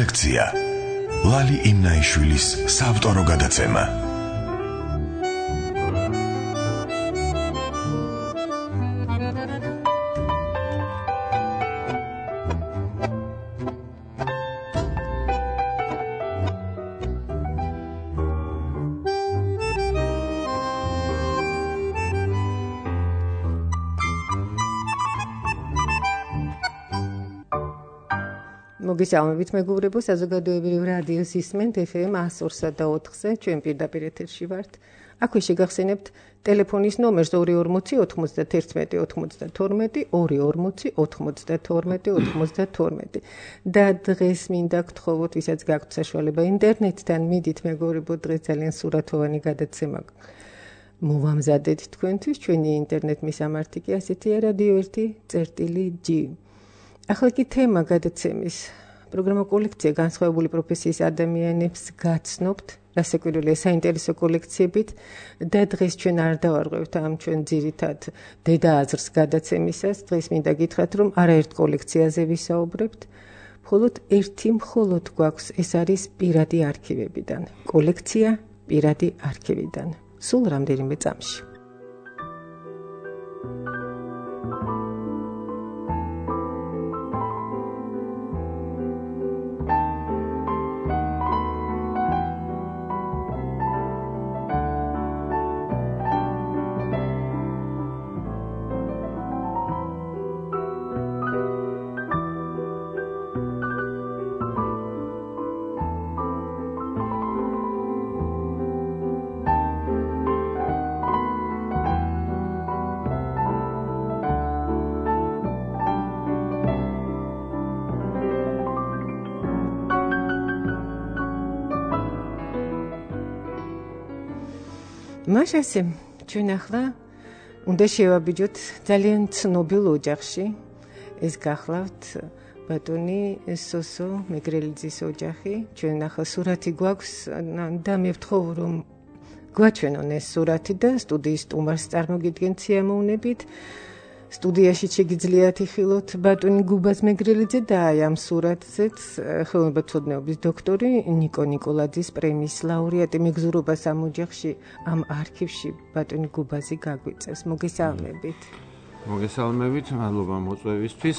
კოლექცია. ლალი იმნაიშვილის საავტორო გადაცემა. მოგესალმებით მეგობრებო, საზოგადოებრივ რადიოს ისმენთ FM 102.4-ზე, ჩვენ პირდაპირ ეთერში ვართ. აქვე შეგახსენებთ ტელეფონის ნომერს 240 91 92 240 92 92. და დღეს მინდა გთხოვოთ, ვისაც გაქვთ საშუალება ინტერნეტთან მიდით მეგობრებო, დღეს ძალიან სურათოვანი გადაცემა მოვამზადეთ თქვენთვის. ჩვენი ინტერნეტ მისამართი კი ასეთია: რადიო 1.G. ახლა კი თემა გადაცემის პროგრამა კოლექცია განსხვავებული პროფესიის ადამიანებს გაცნობთ, რასაკვირველია საინტერესო კოლექციებით და დღეს ჩვენ არ დავარღვევთ ამ ჩვენ ძირითად დედა აზრს გადაცემისას. დღეს მინდა გითხრათ, რომ არაერთ კოლექციაზე ვისაუბრებთ, მხოლოდ ერთი მხოლოდ გვაქვს, ეს არის პირადი არქივებიდან. კოლექცია პირადი არქივიდან. სულ რამდენიმე წამში. მაშასე ჩვენ ახლა უნდა შევაბიჯოთ ძალიან ცნობილ ოჯახში. ეს გახლავთ ბატონი სოსო მეგრელიძის ოჯახი. ჩვენ ახლა სურათი გვაქვს და მე ვთხოვ, რომ გვაჩვენონ ეს სურათი და სტუდიის სტუმარს წარმოგიდგენთ სიამოვნებით. სტუდიაში შეგიძლიათ იხილოთ ბატონი გუბას მეგრელიძე და აი ამ სურათზეც ხელოვნებათმცოდნეობის დოქტორი ნიკო ნიკოლაძის პრემიის ლაურეატი. მეგზურობას ამ ოჯახში, ამ არქივში ბატონი გუბაზი გაგვიწევს. მოგესალმებით. მოგესალმებით, მადლობა მოწვევისთვის.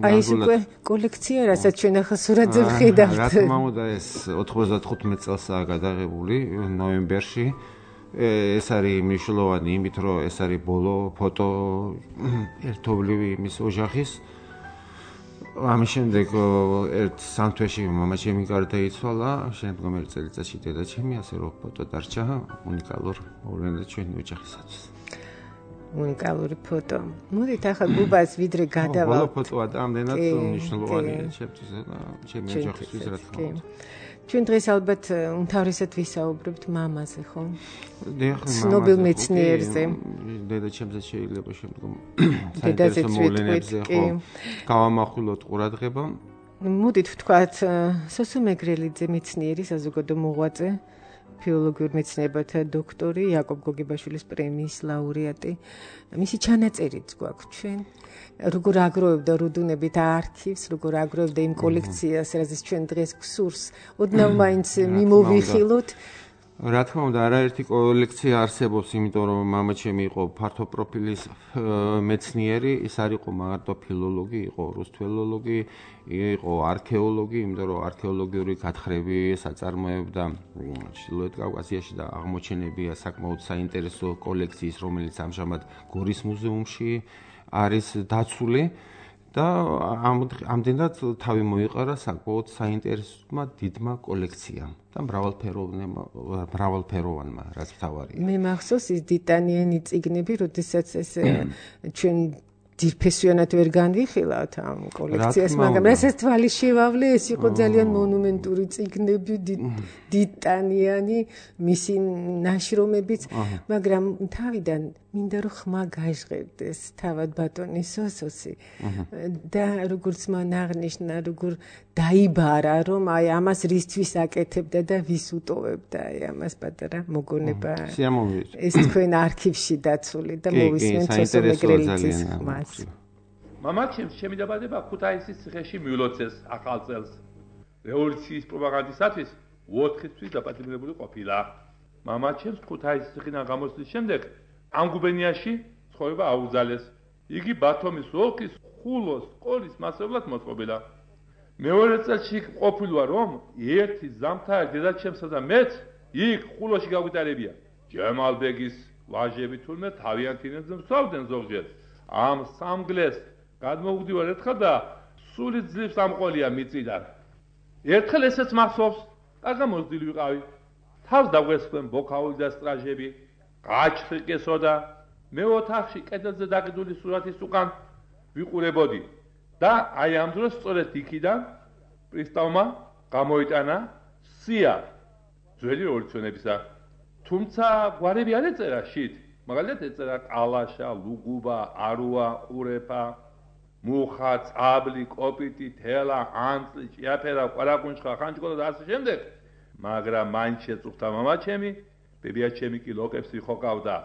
აი ეს უკვე კოლექცია, რასაც ჩვენ ახლა სურათზე ვხედავთ. რა თქმა უნდა, ეს 95 წელსაა გადაღებული ნოემბერში. ეს არის მნიშვნელოვანი იმით, რომ ეს არის ბოლო ფოტო ერთობლივი მის ოჯახის. ამის შემდეგ ერთ სამთვეში მამაჩემი გარდაიცვალა, შემდგომი წელიწადში დედაჩემი, ასე რომ ფოტო დარჩა უნიკალურ მოვლენად ჩვენი ოჯახისათვის. უნიკალური ფოტო. მოდით ახლა გუბას ვიდრე გადავალთ. ბოლო ფოტოა და ამდენად მნიშვნელოვანია ჩემთვის და ჩემი ოჯახისთვის, რა თქმა უნდა. ჩვენ დღეს ალბათ უმთავრესად ვისაუბრებთ მამაზე, ხო? ცნობილ მეცნიერზე. დედაჩემზე შეიძლება შემდგომ საინტერესო მოვლენებზე ხო გავამახვილოთ ყურადღება. მოდით ვთქვათ, სოსო მეგრელიძე მეცნიერი, საზოგადო მოღვაწე, ფილოლოგიურ მეცნიერებათა დოქტორი, იაკობ გოგებაშვილის პრემიის ლაურეატი. მისი ჩანაწერიც გვაქვს ჩვენ. როგორ აგროვებდა რუდუნებით არქივს, როგორ აგროვებდა იმ კოლექციას, რასაც ჩვენ დღეს გვსურს, ოდნავ მაინც მიმოვიხილოთ. რა თქმა უნდა, არაერთი კოლექცია არსებობს, იმიტომ რომ მამაჩემი იყო ფართო პროფილის მეცნიერი, ის არ იყო მარტო ფილოლოგი, იყო რუსთველოლოგი, იყო არქეოლოგი, იმიტომ რომ არქეოლოგიური გათხრები აწარმოებდა ჩრდილოეთ კავკასიაში და აღმოჩენებია საკმაოდ საინტერესო კოლექციის, რომელიც ამჟამად გორის მუზეუმში არის დაცული და ამდენად თავი მოიყარა საკმაოდ საინტერესომა დიდმა კოლექციამ და მრავალფეროვანმა, რაც მთავარია. მე მახსოვს ის დიტანიანი წიგნები, როდესაც ეს ჩვენ ძირფესვიანად ვერ განვიხილავთ ამ კოლექციას, მაგრამ რასაც თვალი შევავლე, ეს იყო ძალიან მონუმენტური წიგნები, დიტანიანი, მისი ნაშრომებიც, მაგრამ თავიდან მინდა რომ ხმა გაჟღერდეს თავად ბატონი სოსოსი და როგორც მან აღნიშნა, როგორ დაიბარა, რომ აი ამას რისთვის აკეთებდა და ვის უტოვებდა აი ამას პატარა მოგონება. ეს თქვენ არქივში დაცული და მოვისმენთ სოსო მეგრელიძის ხმას. მამაჩემს ჩემი დაბადება ქუთაისის ციხეში მიულოცეს ახალ წელს. რევოლუციის პროპაგანდისათვის 4 თვის დაპატიმრებული ყოფილა. მამაჩემს ქუთაისის ციხიდან გამოსვლის შემდეგ ამ გუბერნიაში ცხოვრება აუძალეს. იგი ბათუმის ოლქის ხულოს სკოლის მასწავლებლად მოწყობილა. მეორე წელში ყოფილა რომ ერთი ზამთარი დედაჩემსა და მეც იქ ხულოში გაგვიტარებია. ჯემალბეგის ვაჟები თურმე თავიანთ ინებზე მსვავდნენ ზოგჯერ. ამ სამგლეს გადმოვდივარ ერთხელ და სული ძლივს ამყოლია მიწიდან. ერთხელ ესეც მახსოვს, კარგა მოზრდილი ვიყავი. თავს დაგვესხდნენ ბოქაული და სტრაჟები, გაჩხრიკესო და მე ოთახში კედელზე დაკიდული სურათის უკან ვიყურებოდი და აი ამ დროს სწორედ იქიდან პრისტავმა გამოიტანა სია ძველი რევოლუციონებისა. თუმცა გვარები არ ეწერა შით, მაგალითად ეწერა ყალაშა, ლუგუბა, არუა, ყურეფა, მუხა, წაბლი, კოპიტი, თელა, ანწლი, ჭიაფერა, ყვარაკუნჩხა, ხანჯკოლა და ასე შემდეგ. მაგრამ მან შეწუხდა მამაჩემი, ბებიაჩემი კი ლოკებს იხოკავდა.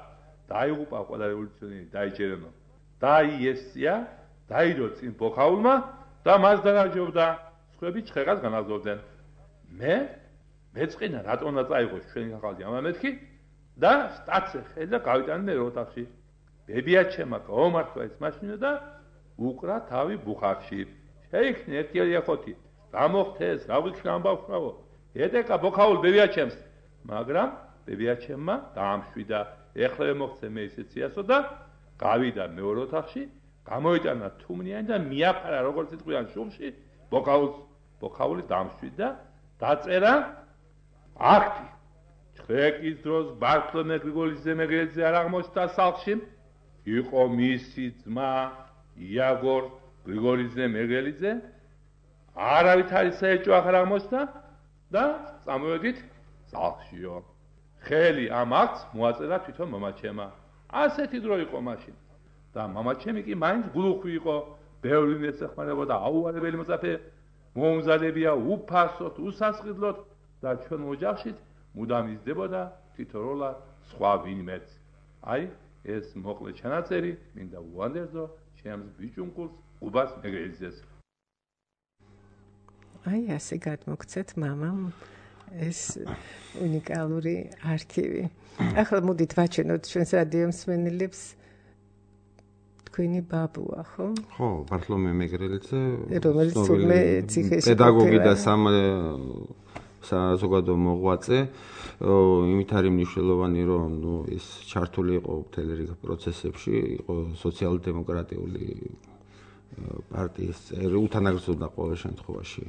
დაიღუპა ყველა რევოლუციონერი, დაიჯერენო. დაიესწია, დაიდო წინ ბოქაულმა და მას დაგაჯობდა. სხვები ჩხერას განაგზავნენ. მეწყინა რატომ უნდა წაიღოს ჩვენი ახალი ამამეთქი და სტაცე ხელა გავიტანე მე ოთახში. ბებიაჩემა გაომართვა ეს მაშინა და უკრა თავი ბუხარში. შეიქნა ერთიანი ახოთი. გამოხთეს, რა ვიცი ამბავშავო. ედეკა ბოქაულ ბებიაჩემს. მაგრამ ბებიაჩემმა დაამშვიდა. ეხლა მოხცე მე ისე ციასო და გავიდა მეორე ოთახში, გამოიტანა თუმნიანი და მიაფარა როგორც იტყვიან შუბში, ბოქაული დამშვიდა, დაწერა აქტი. ჩხეკის დროს ბართლომე გრიგოლიძე მეგრელიძე არ აღმოჩნდა სახლში, იყო მისი ძმა იაგორ გრიგოლიძე მეგრელიძე, არავითარი საეჭვო აღარ აღმოჩნდა და წამოვედით სახლშიო. ხელი ამ აქტს მოაწერა თვითონ მამაჩემა. ასეთი დრო იყო მაშინ. და მამაჩემი კი მაინც გლუხვი იყო, ბევრი მეცეხმარებოდა, აუარებელი მოწაფე მომზადებია უფასოდ, უსასყიდლოდ და ჩვენ ოჯახშიც მუდამ იზრდებოდა თითოეულა სხვა ვინმეც. აი, ეს მოკლე ჩანაწერი მინდა უანდერძო ჩემს ბიჭუნკულს უბას მეგრელიძეს. აი, ასე გადმოგცეთ მამამ ეს უნიკალური არქივი. ახლა მოდით ვაჩვენოთ ჩვენს რადიო მსმენელებს თქვენი ბაბუა, ხო? ხო, ბართლომე მეგრელიძე, რომელიც თურმე ციხეში პედაგოგი და საზოგადო მოღვაწე, იმით არის მნიშვნელოვანი, რომ ის ჩართული იყო მთელი რიგ პროცესებში, იყო სოციალ-დემოკრატიული პარტიის წევრი, უთანაგრძობდა ყოველ შემთხვევაში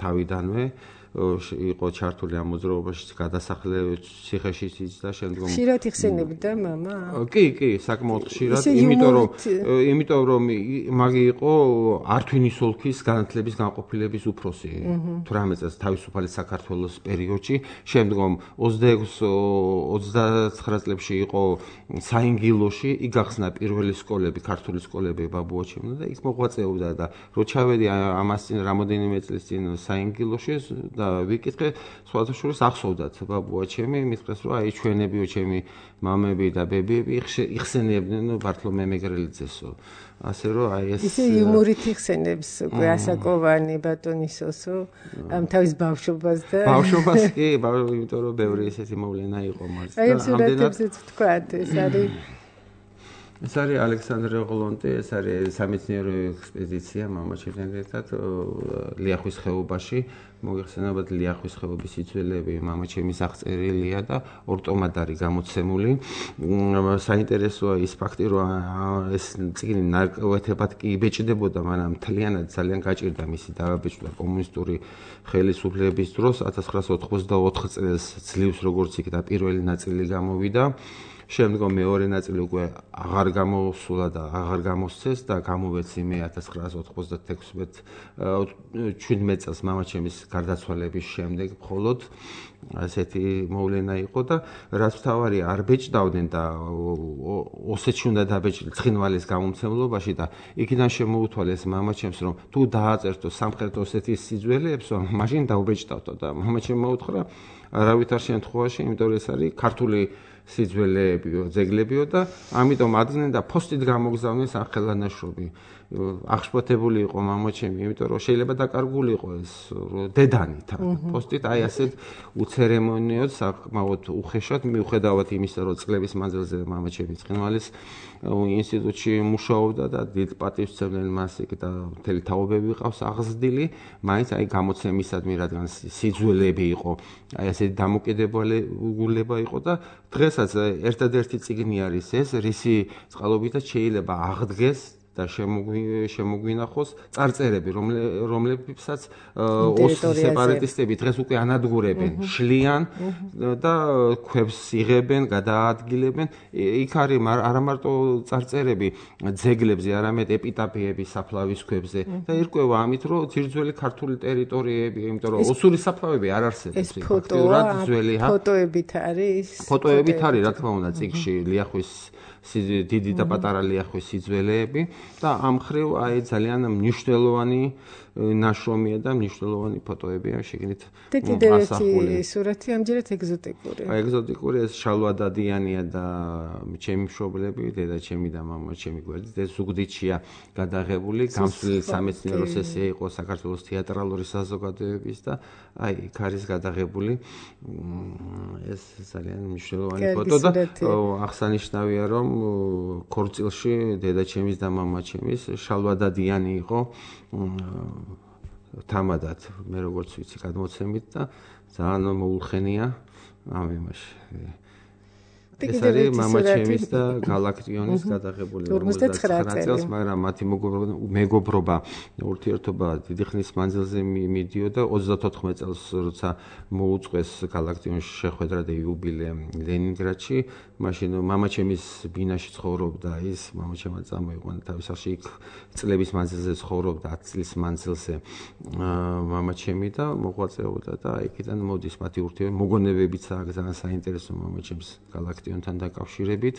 თავიდანვე. იყო ჩართული ამ მოძრაობაში, გადასახლებული ციხეშიც და შემდგომ ხშირად იხსენებდა მამა? კი, საკმაოდ ხშირად, იმიტომ რომ მაგი იყო ართვინის ოლქის განათლების განყოფილების უფროსი 18 წელს თავისუფალი საქართველოს პერიოდში, შემდგომ 26-29 წლებში იყო საინგილოში, იქ გახსნა პირველი სკოლები, ქართული სკოლები ბაბუაჩემმა და იქ მოღვაწეობდა და რო ჩავედი ამას წინ რამოდენიმე წლის წინ საინგილოში და ვიკითხე, სხვათა შორის ახსოვდათ ბაბუაჩემი, მithყეს რომ აი ჩვენებიო ჩემი მამები და ბებიები იხსენებდნენ ბართლომე მეგრელიძესო. ასე რომ აი ეს ისე იუმორით იხსენებს უკვე ასაკოვანი ბატონისოსო ამ თავის ბავშვობას და ბავშვობას კი, იმიტომ რომ ბევრი ესეთი მოვლენა იყო მარცხ და ამდენად აი სურათებზეც ვთქვათ, ეს არის ეს არის ალექსანდრე ღოლონტი, ეს არის სამეცნიერო ექსპედიცია მამაჩემთან ერთად ლიახვის ხეობაში. მოგეხსენებათ ლიახვის ხეობის სიძველეები მამაჩემის აღწერილია და ორ ტომად არის გამოცემული. საინტერესოა ის ფაქტი, რომ ეს წიგნი ნარკვეთებად კი იბეჭდებოდა, მაგრამ მთლიანად ძალიან გაჭირდა მისი დაბეჭდა კომუნისტური ხელისუფლების დროს 1984 წელს ძლივს როგორც იქ და პირველი ნაწილი გამოვიდა. შემდგომ მეორე ნაწილი უკვე აღარ გამოსულა და აღარ გამოსცეს და გამოვეცი მე 1996 წელს მამაჩემის გარდაცვალების შემდეგ მხოლოდ ასეთი მოვლენა იყო და რაც თავარი არ ბეჭდავდნენ და ოსეთში უნდა დაბეჭდილ ცხინვალის გამომცემლობაში და იქიდან შემოუთვალეს მამაჩემს რომ თუ დააწერთო სამხრეთ ოსეთის სიძველეებსო მაშინ დაუბეჭდავთო და მამაჩემ მოუთხრა არავითარ შემთხვევაში, იმიტომ რომ ეს არის ქართული სიძველეებიო, ძეგლებიო და ამიტომ ადგენენ და ფოსტით გამოგზავნეს სახელანაშრომი. აღშფოთებული იყო მამაჩემი, იმიტომ რომ შეიძლება დაკარგული იყო ეს დედანი თან. პოსტით აი ასეთ უცერემონიოდ, საკმაოდ უხეშად, მიუხედავად იმისა, რომ წლების მანძილზე მამაჩემი ცხინვალის ინსტიტუტში მუშაობდა და დიდ პატივს სცემდნენ მას იქ და მთელი თაობები ყავს აღზრდილი, მაინც აი გამოცემისადმი, რადგან სიძველეები იყო, აი ასეთი დამოკიდებულება იყო და დღესაც ერთადერთი წიგნი არის ეს, რისი წყალობითაც შეიძლება აღდგეს და შემოგვინახოს წარწერები, რომლებსაც სეპარატისტები დღეს უკვე ანადგურებენ, შლიან და ქვებს იღებენ, გადაადგილებენ. იქ არის არა მარტო წარწერები ძეგლებზე, არამედ ეპიტაფიები საფლავის ქვებზე და ირკვევა ამით, რომ ძირძველი ქართული ტერიტორიები, იმიტომ რომ ოსური საფლავები არ არსებობს. ეს ფოტოებით არის? ფოტოებით არის, რა თქმა უნდა, წიგნში ლიახვის დიდი და პატარა ლიახვის სიძველეები და ამ მხრივ აი ძალიან მნიშვნელოვანი ნაშრომია და მნიშვნელოვანი ფოტოებია შეგნით და კიდევ ერთი სურათი ამჯერად ეგზოტიკური. ეგზოტიკური ეს შალვა დადიანია და ჩემი მშობლები, დედაჩემი და მამაჩემი გვერდით ეს ზუგდიდშია გადაღებული, გამსვლელი სამეცნიერო სესია იყო საქართველოს თეატრალური საზოგადოების და აი იქ არის გადაღებული ეს ძალიან მნიშვნელოვანი ფოტო და აღსანიშნავია რომ ქორწილში დედაჩემის და მამაჩემის შალვა დადიანი იყო თამადად მე როგორც ვიცი გადმოცემით და ძალიან მოულხენია ამ იმაში ეს არის მამაჩემის და გალაქტიონის გადაღებული 59 წელს, მაგრამ მათი მეგობრობა ურთიერთობა დიდი ხნის მანძილზე მიდიოდა 34 წელს, როცა მოუწყვეს გალაქტიონის შეხვედრა და იუბილე ლენინგრადში, მაშინ მამაჩემის ბინაში ცხოვრობდა ის, მამაჩემმა წამოიყვანა თავის სახში, იქ წლების მანძილზე ცხოვრობდა 10 წლის მანძილზე მამაჩემი და მოღვაწეობდა და იქიდან მოდის მათი ურთიერთობა, მოგონებებიც აქვს ძალიან საინტერესო მამაჩემს გალაქტიონთან დაკავშირებით.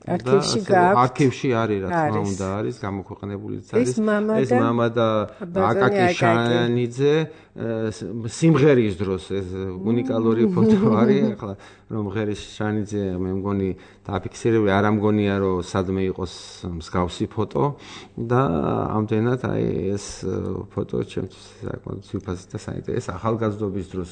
არქივში არის, რა თქმა უნდა, არის გამოქვეყნებულიც არის. ეს მამა და აკაკი შანიძე სიმღერის დროს ეს უნიკალური ფოტო არის, ახლა რომ ღერის შანიძე მე მგონი დაფიქსირებული, არ ამგონია რომ სადმე იყოს მსგავსი ფოტო და ამდენად აი ეს ფოტო ჩემთვის საკმაოდ სიფასი და საინტერესო ახალგაზრდობის დროს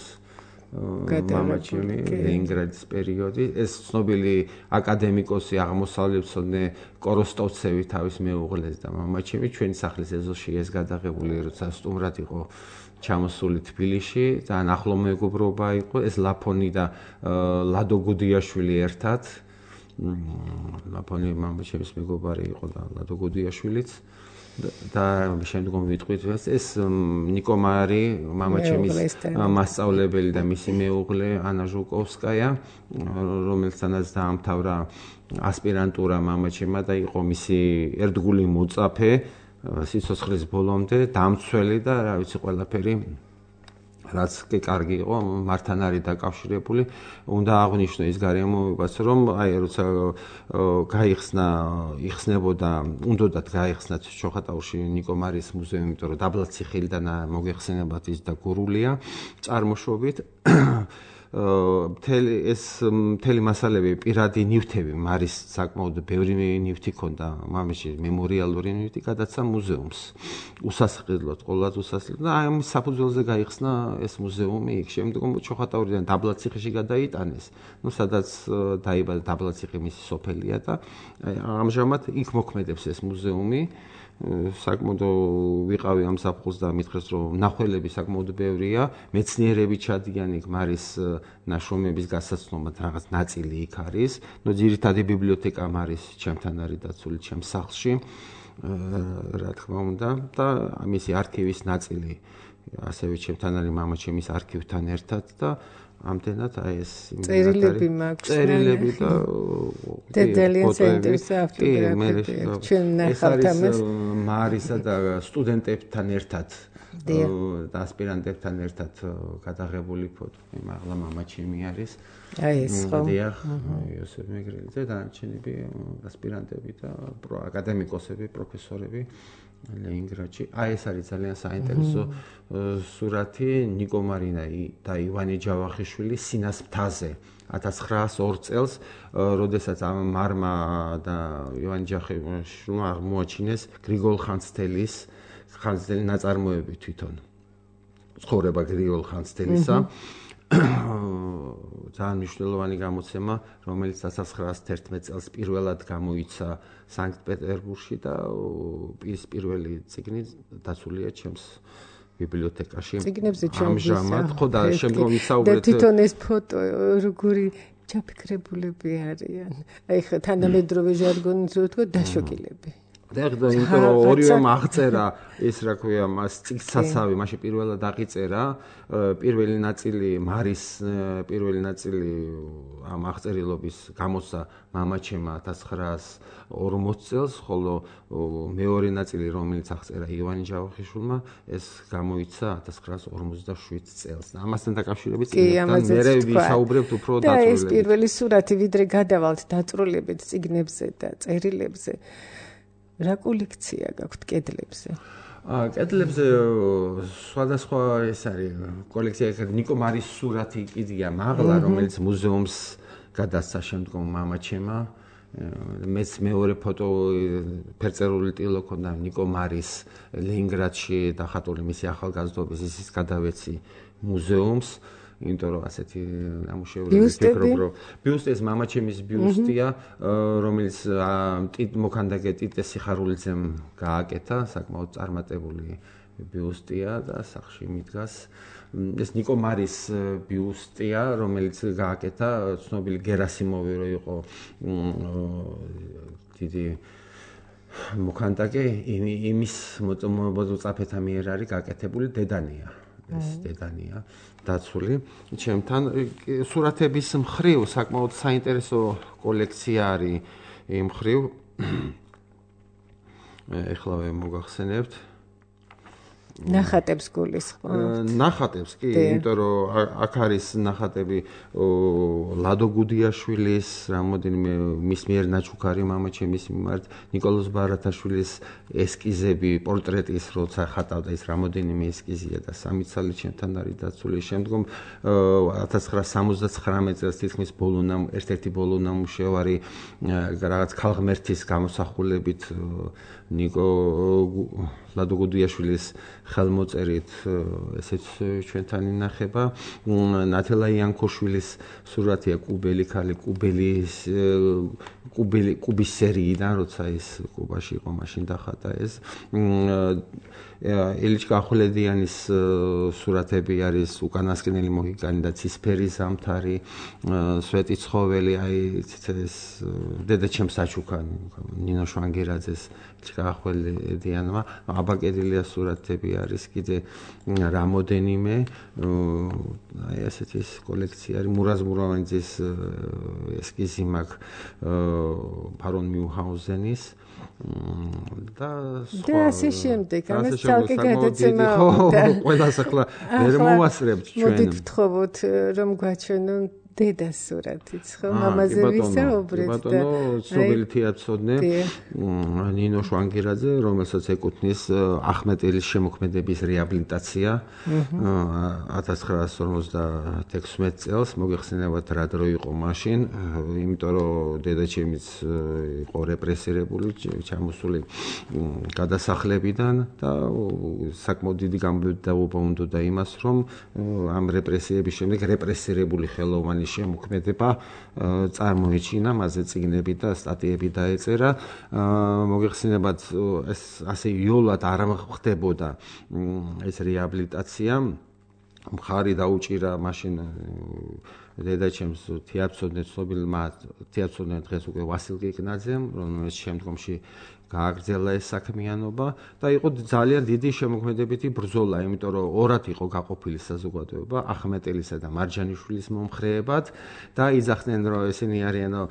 მამაჩემი ლენინგრადის პერიოდი ეს ცნობილი აკადემიკოსი აღმოსავლეთმცოდნე კოროსტოვცევი თავის მეუღლეს და მამაჩემი ჩვენი სახლის ეზოში ეს გადაღებული როცა სტუმრად იყო ჩამოსული თბილისში და ახლო მეგობრობა იყო ეს ლაფონი და ლადო გუდიაშვილი ერთად ლაფონი მამაჩემის მეგობარი იყო და ლადო გუდიაშვილიც და შემდგომ ვიტყვით ეს ნიკო მარი მამაჩემის მასწავლებელი და მისი მეუღლე ანა ჟუკოვსკაია რომელთანაც დაამთავრა ასპირანტურა მამაჩემმა და იყო მისი ერთგული მოწაფე სიცოცხლის ბოლომდე დამცველი და რა ვიცი ყველაფერი რაც კი კარგი იყო მართან არის დაკავშირებული უნდა აღვნიშნო ის გარემოებაც რომ აი როცა იხსნებოდა უნდათ გაიხსნათ ჩოხატაურში ნიკო მარის მუზეუმი იმიტომ რომ დაბლაციხილიდან მოგეხსენებათ ის და გურულია წარმოშობით მთელი მასალები პირადი ნივთები მარის საკმაოდ ბევრი ნივთი ქონდა მამაში მემორიალური ნივთი გადაცა მუზეუმს უსასყიდლოდ ყოველად უსასყიდლოდ და აი ამის საფუძველზე გაიხსნა ეს მუზეუმი იქ შემდგომ ჩოხატაურიდან დაბლაციხეში გადაიტანეს ნუ სადაც დაიბადა დაბლაციხე მისი სოფელია და ამჟამად იქ მოქმედებს ეს მუზეუმი საკმაოდ ვიყავი ამ საფხულს და მითხრეს რომ ნახველები საკმაოდ ბევრია მეცნიერები ჩადიან იქ მარის ნაშრომების გასაცნობად რაღაც ნაწილი იქ არის ნუ ძირითადი ბიბლიოთეკა მარის ჩემთან არის დაცული ჩემს სახლში რა თქმა უნდა და მისი არქივის ნაწილი ასევე ჩემთან არის მამაჩემის არქივთან ერთად და ამდენად აი ეს წერილები მაქვს წერილები და ძალიან საინტერესო ავტოგრაფები ჩვენ ნახავთ ამას მარისა და სტუდენტებთან ერთად და ასპირანტებთან ერთად გადაღებული ფოტო. მაღლა მამა ჩემი არის. აი ეს ხო. დიახ, იოსებ მეგრელიძე და დანარჩენები ასპირანტები და აკადემიკოსები, პროფესორები ლენინგრადში. აი ეს არის ძალიან საინტერესო სურათი ნიკო მარინა და ივანე ჯავახიშვილი სინას მთაზე 1902 წელს, როდესაც მარმა და ივანე ჯავახიშვილმა აღმოაჩინეს გრიგოლ ხანძთელის ნაწარმოები თვითონ. ცხოვრება გრიგოლ ხანძთელისა. ძალიან მნიშვნელოვანი გამოცემა, რომელიც 1911 წელს პირველად გამოიცა სანქტ-პეტერბურგში და ის პირველი წიგნი დაცულია ჩემს ბიბლიოთეკაში. წიგნებზე ჩემს ხო და შემდგომ ვისაუბრეთ და თვითონ ეს ფოტო როგორი ჩაფიქრებულები არიან. აი ხა თანამედროვე ჟარგონით რო ვთქვა დაშოკილები. და იმიტომ რომ ორივე აღწერა ეს რა ქვია მას წიგნსაცავი მაშინ პირველად აღიწერა პირველი ნაწილი მარის პირველი ნაწილი ამ აღწერილობის გამოსცა მამაჩემმა 1940 წელს ხოლო მეორე ნაწილი რომელიც აღწერა ივანე ჯავახიშვილმა ეს გამოიცა 1957 წელს ამასთან დაკავშირებით წიგნთან მე ვისაუბრებთ უფრო და ეს პირველი სურათი ვიდრე გადავალთ დაწვრილებით წიგნებზე და წერილებზე რა კოლექცია გაქვთ კედლებზე? კედლებზე სხვადასხვა ეს არის კოლექცია ნიკო მარის სურათი კიდია მაღლა რომელიც მუზეუმს გადასცა შემდგომ მამაჩემმა მეც მეორე ფოტო ფერწერული ტილო ქონდა ნიკო მარის ლენინგრადში დახატული მისი ახალგაზრდობის ისიც გადავეცი მუზეუმს იმიტომ რომ ასეთი ნამუშევრები ვფიქრობ რომ ბიუსტი ეს მამაჩემის ბიუსტია რომელიც მოქანდაკე ტიტე სიხარულიძემ გააკეთა საკმაოდ წარმატებული ბიუსტია და სახში მიდგას ეს ნიკო მარის ბიუსტია რომელიც გააკეთა ცნობილი გერასიმოვი რო იყო დიდი მოქანდაკე იმის მოწაფეთა მიერ არის გაკეთებული დედანია ეს დედანია დაცული ჩემთან სურათების მხრივ საკმაოდ საინტერესო კოლექცია არის იმ მხრივ ეხლა მოგახსენებთ ნახატებს გულისხმობთ ნახატებს კი იმიტომ რომ აქ არის ნახატები ლადო გუდიაშვილის რამოდენიმე მის მიერ ნაჩუქარი მამაჩემის მიმართ ნიკოლოზ ბარათაშვილის ესკიზები პორტრეტის როცა ხატავდა ის რამოდენიმე ესკიზია და სამი ცალი ჩემთან არის დაცული შემდგომ 1979 წელს თითქმის ერთ-ერთი ბოლო ნამუშევარი რაღაც ქალღმერთის გამოსახულებით ნიკო ლადო გუდიაშვილის ხელმოწერით ესეც ჩვენთან ინახება ნათელა იანქოშვილის სურათია კუბელი ქალი კუბის სერიიდან როცა ის კუბაში იყო მაშინ დახატა ეს ელიჩკა ახვლედიანის სურათები არის უკანასკნელი მოჰიკანი და ცისფერი ზამთარი სვეტი ცხოველი აი ეს დედაჩემს საჩუქანი ნინო შვანგერაძეს ელიჩკა ახვლედიანმა აბაკედილია სურათები არის კიდე რამოდენიმე აი ასეთი კოლექცია არის მურაზ მურავანიძის ესკიზი მაქვს ფარონ მიუჰაუზენის და ასე შემდეგ ამას ცალკე გადაცემა ყველას ახლა ვერ მოვასწრებთ ჩვენ მოდით ვთხოვოთ რომ გვაჩვენონ დედას სურათიც ხო მამაზე ვისაუბრეთ და ცნობილი თეატრმცოდნე ნინო შვანგერაძე რომელსაც ეკუთვნის ახმეტელის შემოქმედების რეაბილიტაცია 1956 წელს მოგეხსენებათ რა დრო იყო მაშინ იმიტომ რომ დედაჩემიც იყო რეპრესირებული ჩამოსული გადასახლებიდან და საკმაოდ დიდი გამბედაობა უნდა იმას რომ ამ რეპრესიების შემდეგ რეპრესირებული ხელოვანი შემოქმედება წარმოეჩინა, მასზე წიგნები და სტატიები დაეწერა. მოგეხსენებათ, ეს ასე იოლად არ ხდებოდა ეს რეაბილიტაცია. მხარი დაუჭირა მაშინ დედაჩემს თეატრმცოდნე ცნობილმა თეატრმცოდნე დღეს უკვე ვასილ კიკნაძემ, რომელიც შემდგომში გააგრძელა ეს საქმიანობა და იყო ძალიან დიდი შემოქმედებითი ბრძოლა, იმიტომ რომ ორად იყო გაყოფილი საზოგადოება, ახმეტელისა და მარჯანიშვილის მომხრეებად და იძახდნენ რომ ესენი არიანო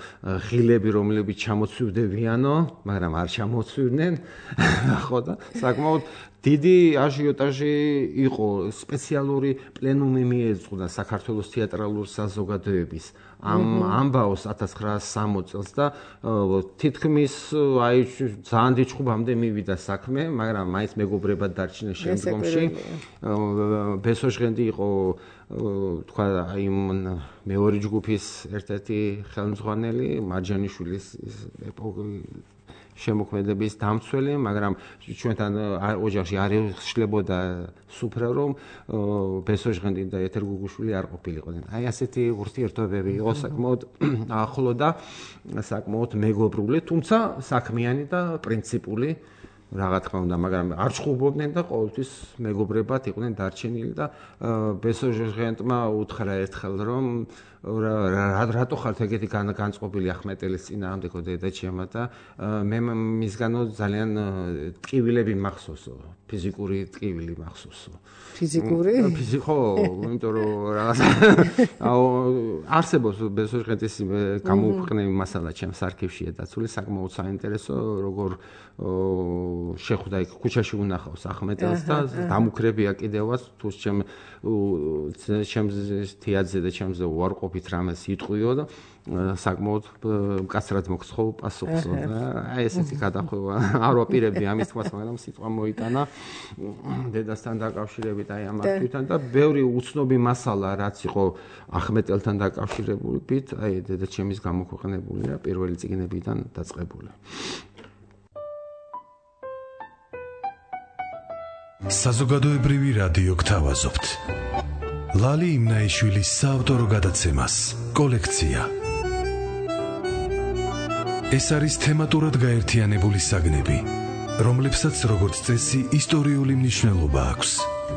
ღილები, რომლებიც ჩამოცვივდებიანო, მაგრამ არ ჩამოცვიდნენ, ხო და საკმაოდ დიდი აჟიოტაჟი იყო, სპეციალური პლენუმი მიეძღვნა საქართველოს თეატრალურ საზოგადოების ამ ამბაოს 1960 წელს და თითქმის აი ძალიან დიდ ჯგუფამდე მივიდა საქმე, მაგრამ მაინც მეგობრებად დარჩნენ შემდგომში. ბესოჟღენდი იყო თქვა აი მეორე ჯგუფის ერთ-ერთი ხელმძღვანელი, მარჯანიშვილის შემოქმედების დამცველი, მაგრამ ჩვენთან ოჯახში არ ეხშლებოდა სუფრა, რომ ბესოჟღენდი და ეთერ გუგუშვილი არ ყოფილიყვნენ. აი ასეთი ურთიერთობები იყო საკმაოდ ახლო და საკმაოდ მეგობრული, თუმცა საქმიანი და პრინციპული რა თქმა უნდა, მაგრამ არ ჩხუბობდნენ და ყოველთვის მეგობრებად იყვნენ დარჩენილი და ბესოჟღენტმა უთხრა ერთხელ, რომ რატო ხართ ეგეთი განწყობილი ახმეტელის წინააღმდეგო დედაჩემა და მე მისგანო ძალიან ტკივილები მახსოვსო, ფიზიკური ტკივილი მახსოვსო. ფიზიკური? ხო, იმიტომ რომ რაღაცა არსებობს ბესოჟღენტის გამოუქვეყნები მასალა ჩემს არქივშია დაცული, საკმაოდ საინტერესო, როგორ შეხვდა იქ ქუჩაში უნახავს ახმეტელს და დამუქრებია კიდევაც თუ ჩემს თეატრზე და ჩემზე უარყოფით რამეს იტყვიო და საკმაოდ მკაცრად მოგცხო პასუხსო და აი ესეთი გადახვევა არ ვაპირებდი ამის თქმას, მაგრამ სიტყვა მოიტანა დედასთან დაკავშირებით აი ამ აქტივთან და ბევრი უცნობი მასალა რაც იყო ახმეტელთან დაკავშირებით, აი დედაჩემის გამოქვეყნებულია პირველი წიგნებიდან დაწყებული. საზოგადოებრივი რადიო გთავაზობთ. ლალი იმნაიშვილის საავტორო გადაცემას კოლექცია. ეს არის თემატურად გაერთიანებული საგნები, რომლებსაც როგორც წესი ისტორიული მნიშვნელობა აქვს.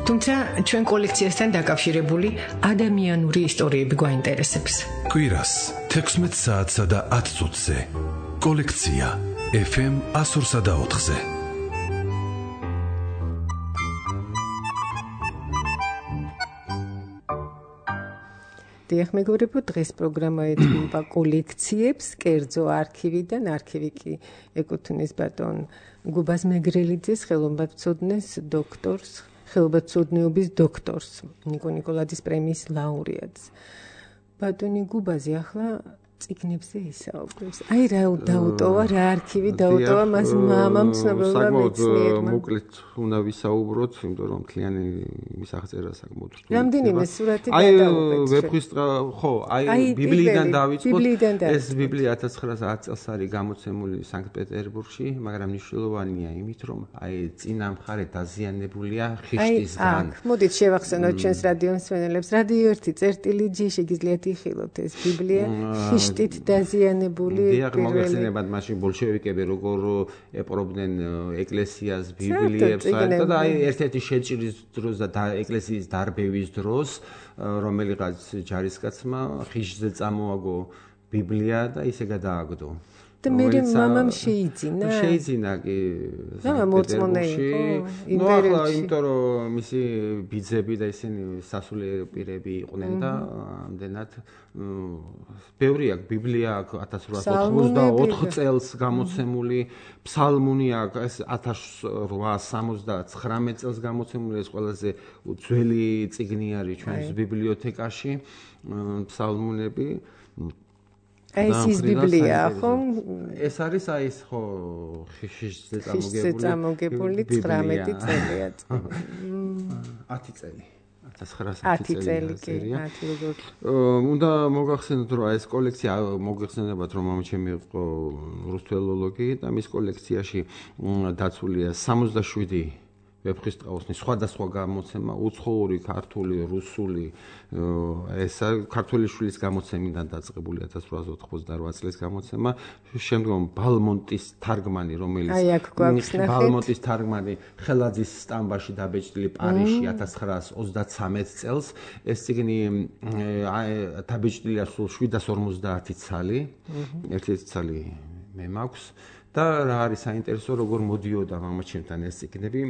თუმცა ჩვენ კოლექციასთან დაკავშირებული ადამიანური ისტორიები გვაინტერესებს. კვირას 16 საათსა და 10 წუთზე. კოლექცია FM 102.4-ზე. დიახ, მეგობრებო, დღეს პროგრამა ეთმობა კოლექციებს, კერძო არქივიდან, არქივი კი ეკუთვნის ბატონ გუბაზ მეგრელიძეს, ხელოვნებაცოდნეს დოქტორს, ხელოვნებაცოდნეობის დოქტორს, ნიკო ნიკოლაძის პრემიის ლაურეატს. ბატონი გუბაზი ახლა წიგნებზე ისაუბრებს. აი რა დაუტოვა, რა არქივი დაუტოვა მას მამამ ცნობილმა მეცნიერმა. მოკლედ უნდა ვისაუბროთ, იმიტომ რომ მთლიანი მისაღწევა საკმაოდ რთული. რამდენიმე სურათი აი გადავუყეთ. ვეფხისტყა, ხო, აი ბიბლიიდან დავიწყოთ. ეს ბიბლია 1910 წელს არის გამოცემული სანქტ-პეტერბურგში, მაგრამ მნიშვნელოვანია იმით, რომ აი წინა მხარე დაზიანებულია ხიშტისგან. აი, მოდით შევახსენოთ ჩვენს რადიო მსმენელებს. რადიო 1 წერტილი G შეგიძლიათ იხილოთ ეს ბიბლია. ხიშტით დაზიანებული დიახ, მოგეხსენებათ მაშინ ბოლშევიკები როგორ ეპრობდნენ ეკლესიას, ბიბლიებს და აი ერთ-ერთი შეჭრის დროს და ეკლესიის დარბევის დროს რომელიღაც ჯარისკაცმა ხიშზე წამოაგო ბიბლია და ისე გადააგდო. და მე მამამ შეიძინა. შეიძინა კი. მოწმონე იყო. ნუ ახლა იმიტომ რომ მისი ბიძები და ისინი სასულიერო პირები იყვნენ და ამდენად ბევრი აქვს ბიბლია აქვს 1884 წელს გამოცემული, ფსალმუნი აქვს 1879 წელს გამოცემული, ეს ყველაზე ძველი წიგნი არის ჩვენს ბიბლიოთეკაში, ფსალმუნები. ეს ბიბლია, ხო? ეს არის აი ეს ხო ხიშზე წამოგებული 19 წელია. 10 წელი. 1910 წელი კი, 10 როგორ. უნდა მოგახსენოთ, რომ ეს კოლექცია მოგეხსენებათ, რომ მამაჩემი იყო რუსთველოლოგი და მის კოლექციაში დაცულია 67 ვეფხისტყაოსნის სხვადასხვა გამოცემა, უცხოური, ქართული, რუსული, ეს ქართული შვილის გამოცემიდან დაწყებული 1888 წლის გამოცემა, შემდგომ ბალმონტის თარგმანი, რომელიც ბალმონტის თარგმანი ხელაძის სტამბაში დაბეჭდილი პარიზში 1933 წელს, ეს წიგნი დაბეჭდილია სულ 750 ცალი, ერთი ცალი მე მაქვს და რა არის საინტერესო როგორ მოდიოდა მამაჩემთან ეს წიგნები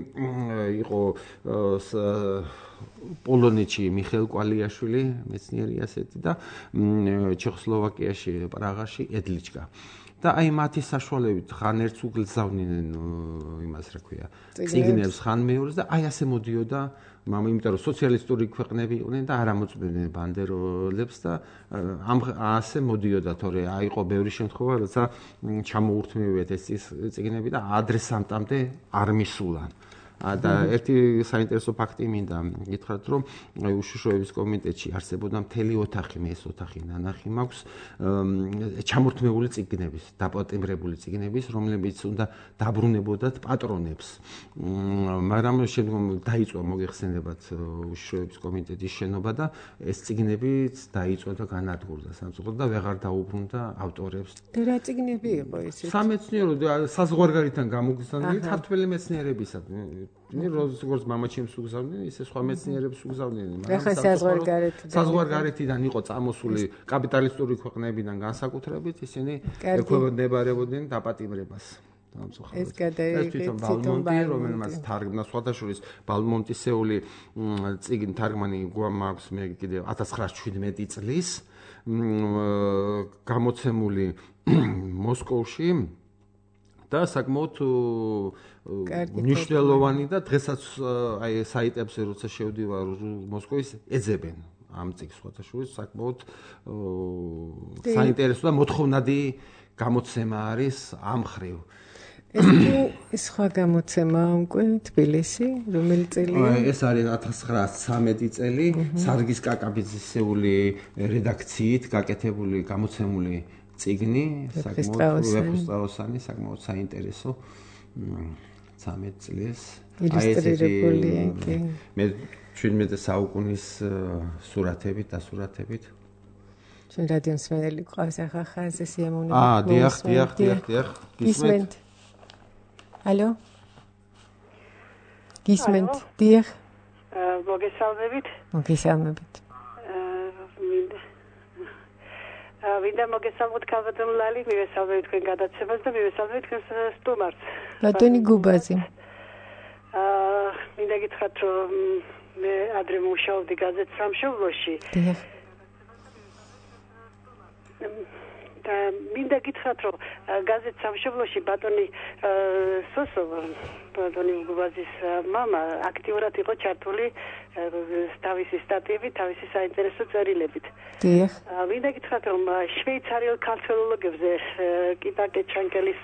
იყო პოლონეთში მიხეილ კვალიაშვილი მეცნიერი ასეთი და ჩეხოსლოვაკიაში პრაღაში ედლიჩკა და აი მათი საშუალებით ხან ერთს უგლზავნიდნენ იმას რა ქვია წიგნებს ხან მეორეს და აი ასე მოდიოდა მამა იმიტომ რომ სოციალისტური ქვეყნები იყვნენ და არ ამოწმდნენ ბანდეროლებს და ასე მოდიოდა თორე აიყო ბევრი შემთხვევა როცა ჩამოურთმევიათ ეს წიგნები და ადრესანტამდე არ მისულან და ერთი საინტერესო ფაქტი მინდა გითხრათ რომ უშიშროების კომიტეტში არსებობდა მთელი ოთახი მე ეს ოთახი ნანახი მაქვს ჩამორთმეული წიგნების დაპატიმრებული წიგნების რომლებიც უნდა დაბრუნებოდათ პატრონებს მაგრამ შემდგომ დაიწყო მოგეხსენებათ უშიშროების კომიტეტის შენობა და ეს წიგნებიც დაიწყო და განადგურდა სამწუხაროდ და ვეღარ დაუბრუნდა ავტორებს და რა წიგნები იყო ეს სამეცნიერო საზღვარგარეთთან გამოგზავნილი ქართველი მეცნიერებისა როგორც მამაჩემს უგზავნდნენ, ისე სხვა მეცნიერებს უგზავნდნენ. მაგრამ საზღვარგარეთიდან იყო წამოსული კაპიტალისტური ქვეყნებიდან განსაკუთრებით, ისინი ექვემდებარებოდნენ დაპატიმრებას. ეს გადაიღეთ ბალმონტი, რომელმაც თარგმნა სხვადასხვა ბალმონტისეული წიგნი თარგმანი გვაქვს მე კიდევ 1917 წლის გამოცემული მოსკოვში და საკმაოდ მნიშვნელოვანი და დღესაც აი საიტებზე როცა შევდივარ მოსკოვის ეძებენ ამ წიგნს სხვადასხვა საკმაოდ საინტერესო და მოთხოვნადი გამოცემა არის ამ ხრივ ეს სხვა გამოცემაა უკვე თბილისი რომელი წელია ეს არის 1913 წელი სარგის კაკაბიძისეული რედაქციით გაკეთებული გამოცემული წიგნი საკმაოდ ვეფხისტყაოსანი საკმაოდ საინტერესო 13 წლის ილუსტრირებულია კი მე 17 საუკუნის სურათებით დასურათებით ჩვენ რადიოს მენელი ყავს ახლა ხაზზე სიამოვნებით დიახ გისმენთ ალო გისმენთ დიახ მოგესალმებით ვინდა მოგესალმოთ ქალბატონლალი, მივესალმებით თქვენ გადაცემას და მივესალმებით თქვენს სტუმარს. ბატონი გუბაზი. მინდა გითხრათ რომ მე ადრე მუშაობდი გაზეთ სამშობლოში. დიახ. და მინდა გითხრათ რომ გაზეთ სამშობლოში ბატონი სოსო ბატონი გუბაზის მამა აქტიურად იყო ჩართული თავისი სტატიებით, თავისი საინტერესო წერილებით. დიახ. მინდა გითხრათ რომ შვეიცარიელ ქართველოლოგებზე კიტაკე ჩანკელის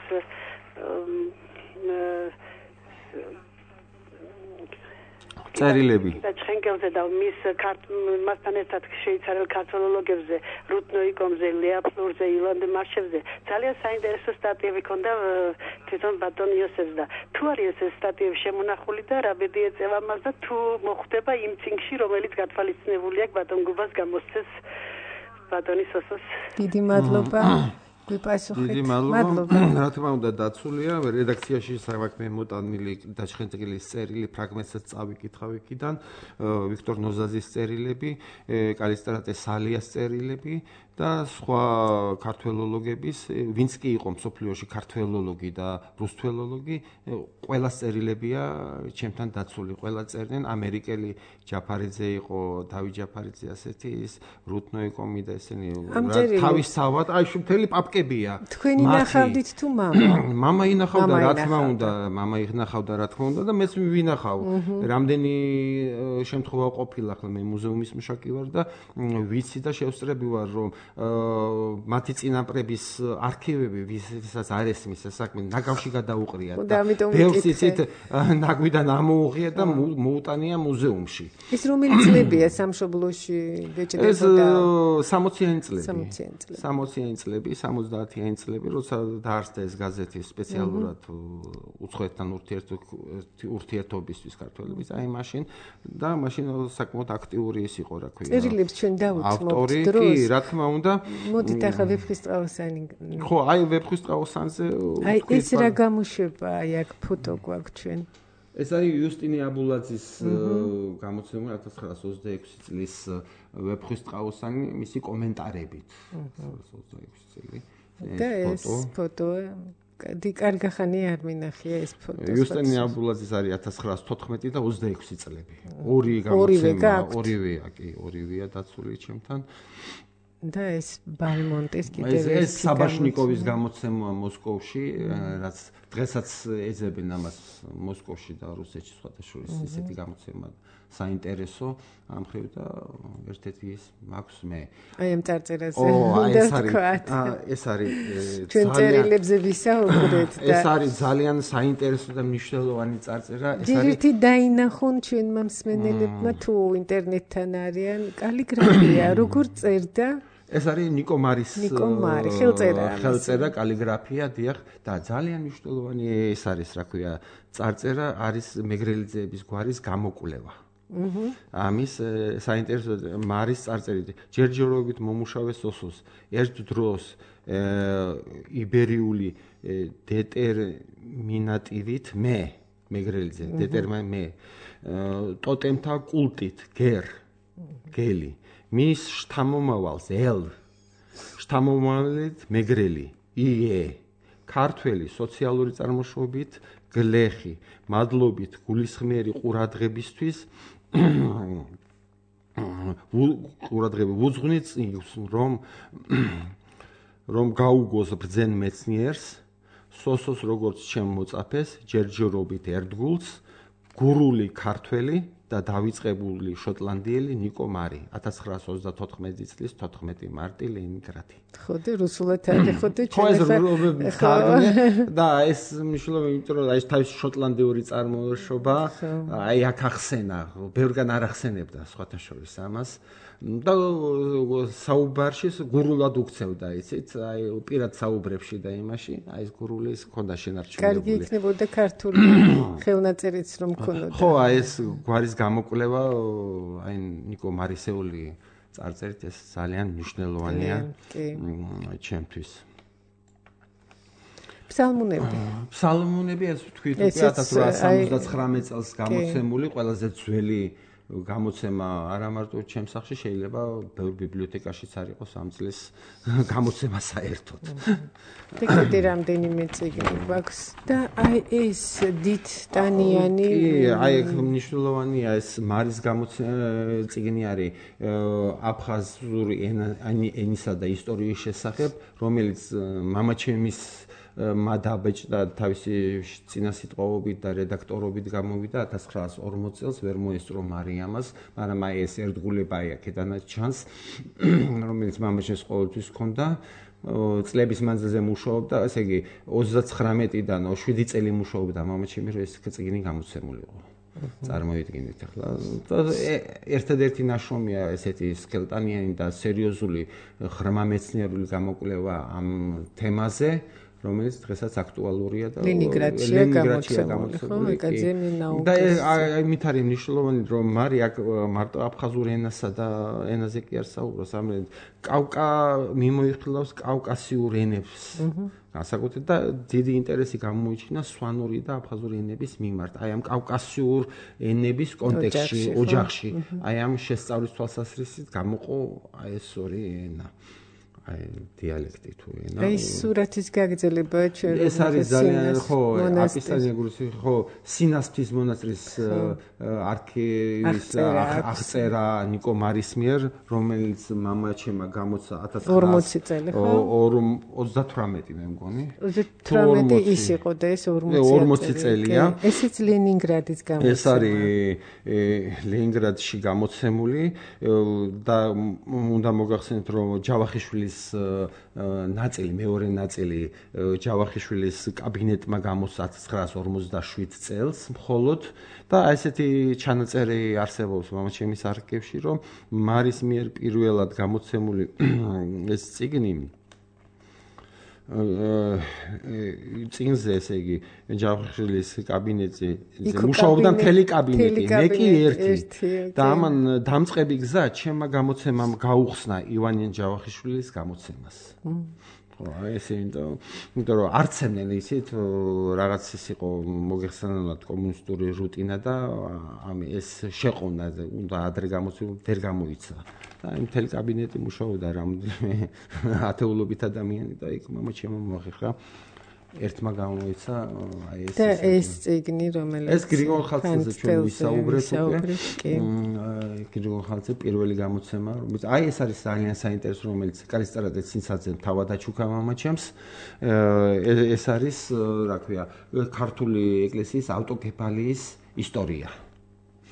წერილები და ჩენკელზე და მასთან ერთად შვეიცარიელ ქართველოლოგებზე რუტნოიკომზე, ლეაპლურზე, ილანდ მარშევზე ძალიან საინტერესო სტატიები ქონდა თვითონ ბატონ იოსებს და თუ არის ეს სტატიები შემონახული და რა ბედი ეწევა მას და თუ მოხვდება იმ წიგნში რომელიც გათვალისწინებული აქვს ბატონ გუბას გამოსცეს ბატონი სოსოს დიდი მადლობა გვიპასუხეთ. დიდი მადლობა. რა თქმა უნდა დაცულია რედაქციაში საქმე მოტანილი დაჩხენწილის წერილი ფრაგმენტსაც წავიკითხავ იქიდან ვიქტორ ნოზაზის წერილები, კალისტრატე სალიას წერილები და სხვა ქართველოლოგების, ვინც კი იყო მსოფლიოში ქართველოლოგი და რუსთველოლოგი, ყველა წერილებია ჩემთან დაცული, ყველა წერდნენ, ამერიკელი ჯაფარიძე იყო, დავით ჯაფარიძე ასეთი ის რუტნოიკომი და ესენი თავისთავად, აი მთელი პაპკებია. თქვენ ინახავდით თუ მამა? მამა ინახავდა, რა თქმა უნდა, მამა ინახავდა, რა თქმა უნდა და მეც ვინახავ. რამდენი შემთხვევა ყოფილა, ახლა მე მუზეუმის მუშაკი ვარ და ვიცი და შევსწრები ვარ, რომ მათი წინაპრების არქივები, ვისაც არ ესმის ეს საქმე, ნაგავში გადაუყრიათ და ბევრს იცით, ნაგვიდან ამოუღია და მოუტანია მუზეუმში. ეს რომელი წლებია სამშობლოში ბეჭდებოდა? ეს 60-იანი წლები. 60-იანი წლები, 70-იანი წლები, როცა დაარსდა ეს გაზეთი სპეციალურად უცხოეთთან ურთიერთობისთვის ქართველების, აი მაშინ და მაშინ საკმაოდ აქტიური ის იყო, რა ქვია. წერილებს ჩვენ დავუცმობთ ავტორი დროს. კი, რა თქმა უნდა. მოდით ახლა ვეფხისტყაოსანი. ხო, აი ვეფხისტყაოსანზე. აი ეს რა გამოშვება, აი აქ ფოტო გვაქვს ჩვენ. ეს არის იუსტინე აბულაძის გამოცემული 1926 წლის ვეფხისტყაოსანი მისი კომენტარებით. 26 წელი. და ეს ფოტო კარგი ხანი არ მინახია ეს ფოტო. იუსტინე აბულაძის არის 1914 და 26 წლები. ორი გამოცემა, ორივეა დაცული ჩემთან. და ეს ბალმონტის კიდევ ეს საბაშნიკოვის გამოცემაა მოსკოვში, რაც დღესაც ეძებენ ამას მოსკოვში და რუსეთში სხვადასხვა ისეთი გამოცემა საინტერესო ამ ხრივ და ერთ-ერთი ის მაქვს მე. აი ამ წარწერაზე უნდა ვთქვათ. ეს არის ჩვენ წერილებზე ვისაუბრეთ და ეს არის ძალიან საინტერესო და მნიშვნელოვანი წარწერა. ეს არის ერთი დაინახონ ჩვენმა მსმენელებმა თუ ინტერნეტთან არიან კალიგრაფია როგორ წერდა ეს არის ნიკო მარის ხელწერა კალიგრაფია დიახ და ძალიან მნიშვნელოვანი ეს არის რა ქვია წარწერა არის მეგრელიძეების გვარის გამოკვლევა. ამის საინტერესო მარის წარწერით ჯერჯერობით მომუშავეს ოსოს ერთ დროს იბერიული დეტერმინატივით მეგრელიძე დეტერმინე ტოტემთა კულტით გელი მის შთამომავალს შთამომავალით მეგრელი ქართველი სოციალური წარმოშობით გლეხი მადლობით გულისხმიერი ყურადღებისთვის ყურადღება უძღვნით რომ გაუგოს ბრძენ მეცნიერს სოსოს როგორც ჩემ მოწაფეს ჯერჯერობით ერთგულს გურული ქართველი და დავიწყებული შოტლანდიელი ნიკო მარი 1934 წლის 14 მარტი ლენინგრადი. ხო და რუსულად ახეხოთ და ეს მნიშვნელოვანი იმიტომ რომ ეს თავის შოტლანდიური წარმოშობა აი აქ ახსენა, ბევრგან არ ახსენებდა სხვათა შორის ამას და საუბარში გურულად უქცევდა იცით, აი პირად საუბრებში და იმაში, აი ეს გურული ის ქონდა შენარჩუნებული. კარგი იქნებოდა ქართული ხელნაწერიც რომ ქონოდა. ხო, აი ეს გვარის გამოკვლევა აი ნიკო მარისეული წარწერით ეს ძალიან მნიშვნელოვანია ჩემთვის. ფსალმუნები ეს ვთქვით უკვე 1879 წელს გამოცემული ყველაზე ძველი გამოცემა არა მარტო ჩემ სახლში შეიძლება ბევრ ბიბლიოთეკაშიც არ იყოს ამ წლის გამოცემა საერთოდ. და კიდე რამდენიმე წიგნი გვაქვს და აი ეს დიდტანიანი აი მნიშვნელოვანია ეს მარის წიგნი არის აფხაზური ენისა და ისტორიის შესახებ რომელიც მამაჩემის მადაბეჭდა თავისი წინასიტყვაობით და რედაქტორობით გამოვიდა 1940 წელს ვერ მოესწრო მარიამას, მაგრამ აი ეს ერთგულება აქედანაც ჩანს, რომელიც მამაჩემს ყოველთვის ჰქონდა. წლების მანძილზე მუშაობდა, ესე იგი 39-დან 7 წელი მუშაობდა მამაჩემი, რომ ეს წიგნი გამოცემულიყო. წარმოვიდგინეთ ახლა. ერთადერთი ნაშრომია ესეთი სქელტანიანი და სერიოზული ღრმამეცნიერული გამოკვლევა ამ თემაზე. რომელიც დღესაც აქტუალურია და ლენინგრადშია გამოცემული. და ამით არის მნიშვნელოვანი რომ მარი მარტო აფხაზურ ენასა და ენაზე კი არ საუბრობს, ამერენ მიმოიხილავს კავკასიურ ენებს. განსაკუთრებით და დიდი ინტერესი გამოიჩინა სვანური და აფხაზური ენების მიმართ. აი ამ კავკასიურ ენების კონტექსტში, ოჯახში, აი ამ შესწავლის თვალსაზრისით გამოყო აი ეს ორი ენა. აი დიალექტი თუ ენა. აი სურათის გაგრძელება ჩვენ ეს არის ძალიან ხო, აპისტანიაგურის ხო, სინასთვის მონასტრის არქივის აღწერა ნიკო მარის მიერ, რომელიც მამაჩემა გამოცა 40 წელი ხო? 38 მე მგონი. 18 ის იყო და ეს 40 წელია. ესეც ლენინგრადის გამოცემა. ეს არის ლენინგრადში გამოცემული და უნდა მოგახსენოთ რომ ჯავახიშვილის ნაწილი, მეორე ნაწილი ჯავახიშვილის კაბინეტმა გამოსცა 1947 წელს მხოლოდ და ესეთი ჩანაწერი არსებობს მამაჩემის არქივში, რომ მარის მიერ პირველად გამოცემული ეს წიგნი წიგნზე ესე იგი ჯავახიშვილის კაბინეტზე მუშაობდა მთელი კაბინეტი, მე კი ერთი და ამან დამწყები გზა ჩემმა გამოცემამ გაუხსნა ივანე ჯავახიშვილის გამოცემას. ესე იმიტომ რომ არცემდნენ ისეთ რაღაც ის იყო მოგეხსენებათ კომუნისტური რუტინა და ეს შეყოვნა უნდა ადრე გამოცემულ ვერ გამოიცა და იმ მთელი კაბინეტი მუშაობდა რამოდენიმე ათეულობით ადამიანი და იქ მამაჩემო მოახერხა ერთმა გამოიცა აი ეს და ეს წიგნი რომელიც ეს გრიგოლ ხალხიძე ჩვენ ვისაუბრეთ უკვე გრიგოლ ხალხიძე პირველი გამოცემა რომელიც აი ეს არის ძალიან საინტერესო რომელიც კალისტრატე ცინცაძემ თავად აჩუქა მამაჩემს ეს არის რა ქვია ქართული ეკლესიის ავტოკეფალიის ისტორია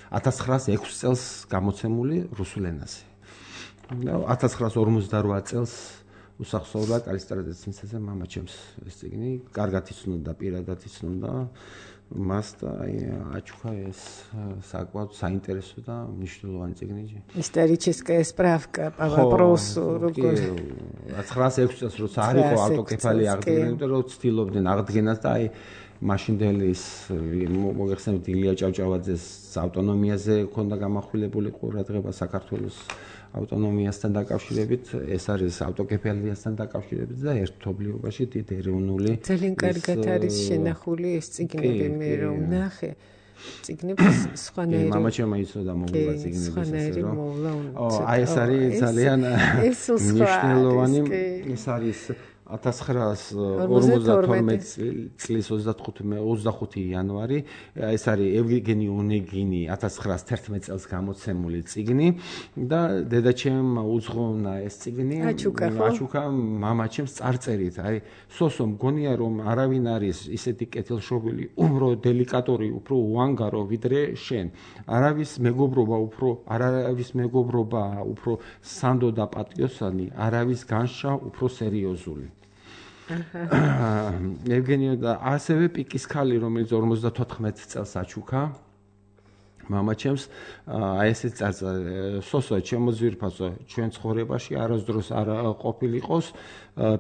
1906 წელს გამოცემული რუსულ ენაზე 1958 წელს უსახსოვრდა კალისტრატე ცინცაძე მამაჩემს ეს წიგნი კარგად იცნობდა პირადად იცნობდა მას და აჩუქა ეს საკმაოდ საინტერესო და მნიშვნელოვანი წიგნი ისტორическая справка по вопросу როგორ 1906 წელს როცა არ იყო ავტოკეფალი აღდგენა იმიტომ რომ ცდილობდნენ აღდგენას და აი მაშინდელი მოგეხსენებთ ილია ჭავჭავაძეს ავტონომიაზე ქონდა გამახვილებული ყურადღება საქართველოს ავტონომიასთან დაკავშირებით ეს არის ავტოკეფალიასთან დაკავშირებით და ერთობლიობაში დიდი ეროვნული ძალიან კარგად არის შენახული ეს წიგნები მე რომ ნახე წიგნების სხვანაირი მამაჩემმა იცოდა მოგვა წიგნების სხვანაირი მოვლა აი ეს არის ძალიან მნიშვნელოვანი ეს არის 1952 წლის 25 იანვარი ეს არის ევგენი უნეგინი 1911 წელს გამოცემული წიგნი და დედაჩემ უძღვნა ეს წიგნი აჩუქა მამაჩემს წარწერით აი სოსო მგონია რომ არავინ არის ისეთი კეთილშობილი უფრო დელიკატორი უფრო უანგარო ვიდრე შენ არავის მეგობრობა უფრო სანდო და პატიოსანი არავის განშა უფრო სერიოზული ევგენიო და ასევე პიკის ქალი რომელიც 54 წელს აჩუქა მამაჩემს აი ესე წარწერა სოსო ჩემო ძვირფასო ჩვენ ცხოვრებაში არასდროს არ ყოფილიყოს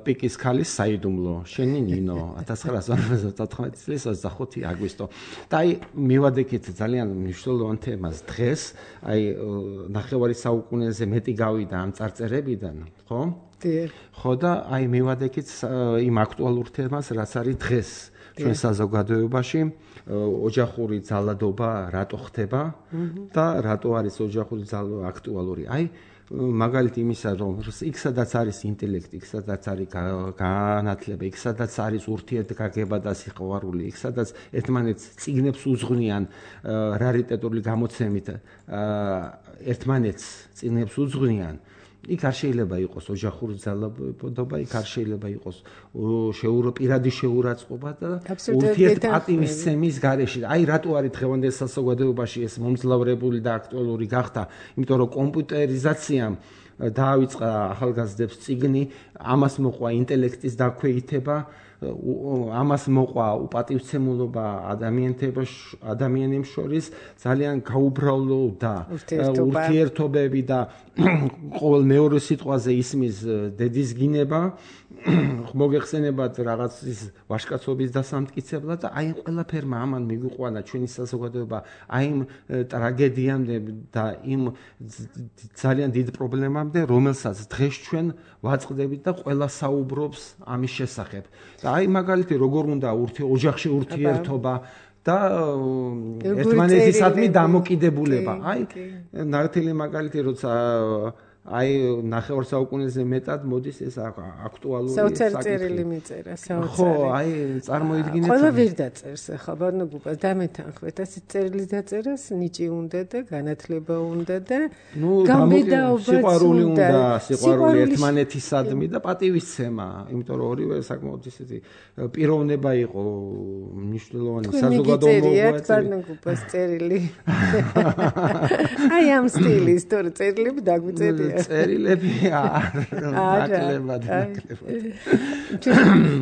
პიკის ქალის საიდუმლო შენი ნინო 1954 წლის 25 აგვისტო და აი მივადექით ძალიან მნიშვნელოვან თემას დღეს აი ნახევარი საუკუნეზე მეტი გავიდა ამ წარწერებიდან ხო ხო და აი მივადექით იმ აქტუალურ თემას რაც არის დღეს ჩვენ საზოგადოებაში ოჯახური ძალადობა რატო ხდება და რატო არის ოჯახური ძალადობა აქტუალური აი მაგალითი იმისა რომ იქ სადაც არის ინტელექტი იქ სადაც არის განათლება იქ სადაც არის ურთიერთგაგება და სიყვარული იქ სადაც ერთმანეთს წიგნებს უძღვნიან რარიტეტული გამოცემით ერთმანეთს წიგნებს უძღვნიან იქ არ შეიძლება იყოს ოჯახური ძალადობა, იქ არ შეიძლება იყოს პირადი შეურაცხყოფა და ურთიერთპატივისცემის გარეშე. აი რატო არის დღევანდელ საზოგადოებაში ეს მომძლავრებული და აქტუალური გახდა, იმიტომ რომ კომპიუტერიზაციამ დაავიწყა ახალგაზრდებს წიგნი, ამას მოყვა ინტელექტის დაქვეითება, ამას მოყვა უპატივცემულობა ადამიანებს შორის, ძალიან გაუბრალდა ურთიერთობები და ყოველ მეორე სიტყვაზე ისმის დედის გინება, მოგეხსენებათ რაღაც ის ვაჟკაცობის დასამტკიცებლად და აი ყველაფერმა ამან მიგიყვანა ჩვენი საზოგადოება აი იმ ტრაგედიამდე და იმ ძალიან დიდ პრობლემამდე, რომელსაც დღეს ჩვენ ვაწყდებით და ყველა საუბრობს ამის შესახებ. და აი მაგალითი როგორ უნდა ოჯახში ურთიერთობა და ერთმანეთისადმი დამოკიდებულება. აი ნათელი მაგალითი როცა აი ნახევარ საუკუნეზე მეტად მოდის ეს აქტუალური საოცარი წერილი მიწერა საოცარი ხო აი წარმოიდგინეთ ყველა ვერ დაწერს ახლა ბარნოგუპას დამეთანხმეთ ასე წერილი დაწერას ნიჭი უნდა და განათლება უნდა და სიყვარული უნდა სიყვარული ერთმანეთისადმი და პატივისცემა იმიტომ რომ ორივე საკმაოდ ისეთი პიროვნება იყო მნიშვნელოვანი საზოგადოებრივი ბარნოგუპას წერილი აი ამ სტილის თორე წერილები დაგვიწერია წერილები ნაკლებად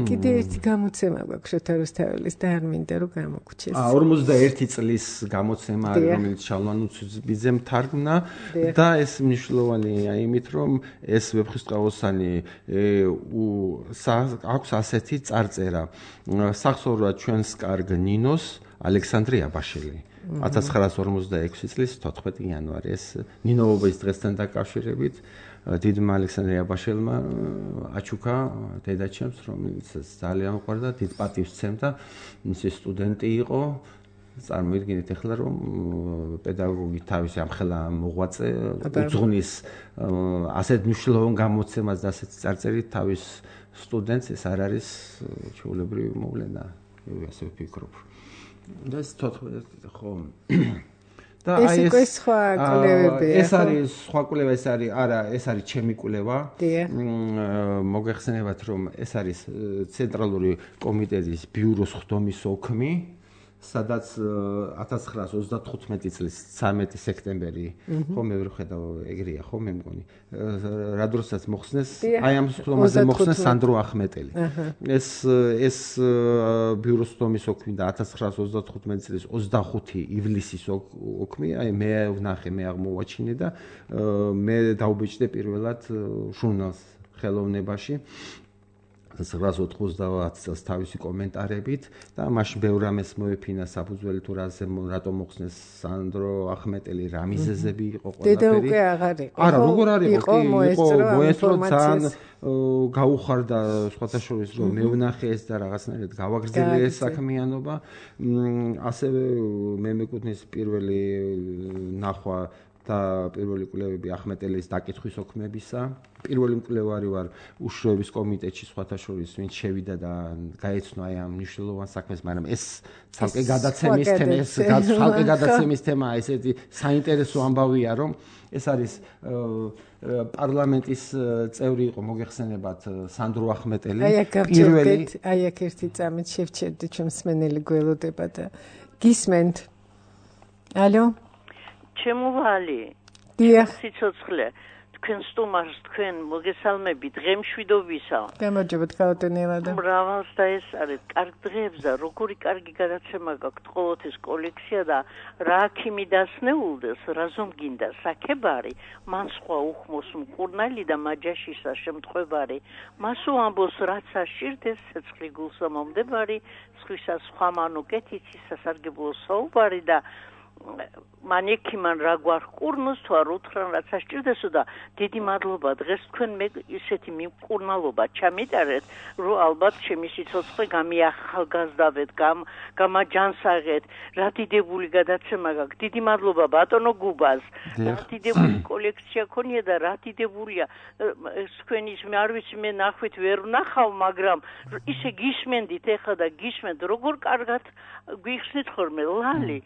კიდე ერთი გამოცემა გვაქვს შოთა რუსთაველის და არ მინდა რომ გამოგვჩეს 51 წლის გამოცემა არის რომელიც შალვანუცბიძემ თარგმნა და ეს მნიშვნელოვანია იმით რომ ეს ვეფხისტყაოსანი აქვს ასეთი წარწერა სახსოვრად ჩვენს კარგ ნინოს ალექსანდრე აბაშელი 1946 წლის 14 იანვარი ეს ნინოობის დღესთან დაკავშირებით დიდმა ალექსანდრე აბაშელმა აჩუქა დედაჩემს, რომელიც ძალიან უყვარდა, დიდ პატივს სცემდა, მისი სტუდენტი იყო. წარმოიდგინეთ ახლა რომ პედაგოგი თავისი ამხელა მოღვაწე უძღვნის ასეთ მნიშვნელოვან გამოცემას და ასეთ წარწერით თავის სტუდენტს ეს არ არის ჩვეულებრივი მოვლენა, ასე ვფიქრობ. და ეს 14 ხო და აი ეს სხვა კვლევებია. ეს არის სხვა კვლევა, ეს არის არა, ეს არის ჩემი კვლევა. მოგეხსენებათ რომ ეს არის ცენტრალური კომიტეტის ბიუროს ხდომის ოქმი, სადაც 1935 წლის 13 სექტემბერი ხო მე ვერ ხედავ ეგრეა ხო მე მგონი რა დროსაც მოხსნეს აი ამ ხდომაზე მოხსნეს სანდრო ახმეტელი ეს ბიუროს ხდომის ოქმი და 1935 წლის 25 ივლისის ოქმი აი მე ვნახე მე აღმოვაჩინე და მე დაუბეჭდე პირველად ჟურნალს ხელოვნებაში 1990 წელს თავისი კომენტარებით და მაშინ ბევრ რამეს მოეფინა საფუძველი თუ რატომ მოხსნეს სანდრო ახმეტელი რა მიზეზები იყო ყველაფერი. დედა უკვე აღარ იყო. არა, როგორ არ იყო, მოესწრო ძალიან გაუხარდა სხვათა შორის რომ მე ვნახე ეს და რაღაცნაირად გავაგრძელე ეს საქმიანობა. ასევე მე მეკუთვნის პირველი ნახვა და პირველი კვლევები ახმეტელის დაკითხვის ოქმებისა. პირველი მკვლევარი ვარ უშროების კომიტეტში სხვათა შორის, ვინც შევიდა და გაეცნო აი ამ მნიშვნელოვან საქმეს, მაგრამ ეს ცალკე გადაცემის თემაა, ესეთი საინტერესო ამბავია, რომ ეს არის პარლამენტის წევრი იყო მოგეხსენებათ სანდრო ახმეტელი. აი აქ ერთი წამით შევჩერდი ჩემს მსმენელი გველოდება და გისმენთ. ალო ჩემოვალი დიახ სიცოცხლე თქვენ სტუმარს თქვენ მოგესალმებით დღემშვიდობისა გამარჯობათ ქალბატონიელადა მრავალს და ეს არის კარგ დღეებს და როგორი კარგი გადაცემა გაქვთ ყოველთვის კოლექცია და რა აქიმი დასნეულდეს რაზომ გინდა საქებარი მან სხვა უხმოს მკურნალი და მაჯაშისა შემთხვევარი მასო ამბოს რაც აშირდეს ცეცხლი გულსა მომდებარი სხვისა სხვა მანუკეთიცი სასარგებლო საუბარი და მანექიმან რა გვარყურნოს თუ არ უთხრან რაც ასჭირდესო და დიდი მადლობა დღეს თქვენ მე ისეთი მიმკურნალობა ჩამიტარეთ რომ ალბათ ჩემი სიცოცხლე გამიახალგაზრდავეთ გამაჯანსაღეთ რა დიდებული გადაცემა გაქვთ დიდი მადლობა ბატონო გუბას რა დიდებული კოლექცია ქონია და რა დიდებულია თქვენის მე არ ვიცი მე ნახვით ვერ ვნახავ მაგრამ ისე გისმენდით ეხლა და გისმენთ როგორ კარგად გვიხსნით ხოლმე ლალი